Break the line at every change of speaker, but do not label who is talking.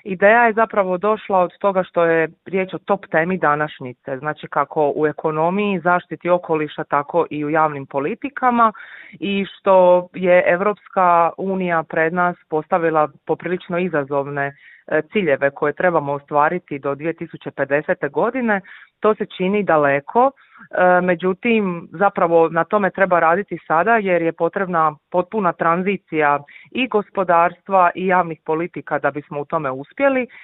Ideja je zapravo došla od toga što je riječ o top temi današnjice, znači kako u ekonomiji, zaštiti okoliša, tako i u javnim politikama i što je Europska unija pred nas postavila poprilično izazovne ciljeve koje trebamo ostvariti do 2050. godine. To se čini daleko, međutim zapravo na tome treba raditi sada jer je potrebna potpuna tranzicija i gospodarstva i javnih politika da bismo u tome uspjeli